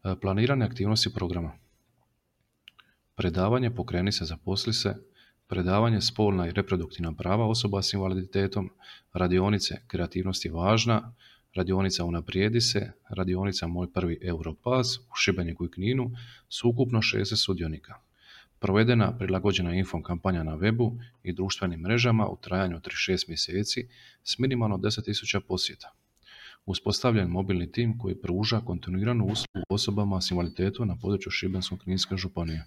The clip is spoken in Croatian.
Planiranje aktivnosti programa. Predavanje Pokreni se, zaposli se, predavanje Spolna i reproduktivna prava osoba s invaliditetom, radionice Kreativnost je važna, radionica Unaprijedi se, radionica Moj prvi Europass u Šibeniku i Kninu s ukupno 60 sudionika. Provedena prilagođena info kampanja na webu i društvenim mrežama u trajanju od 36 mjeseci s minimalno 10.000 posjeta. Uspostavljen mobilni tim koji pruža kontinuiranu uslugu osobama s invaliditetom na području Šibensko-kninske županije.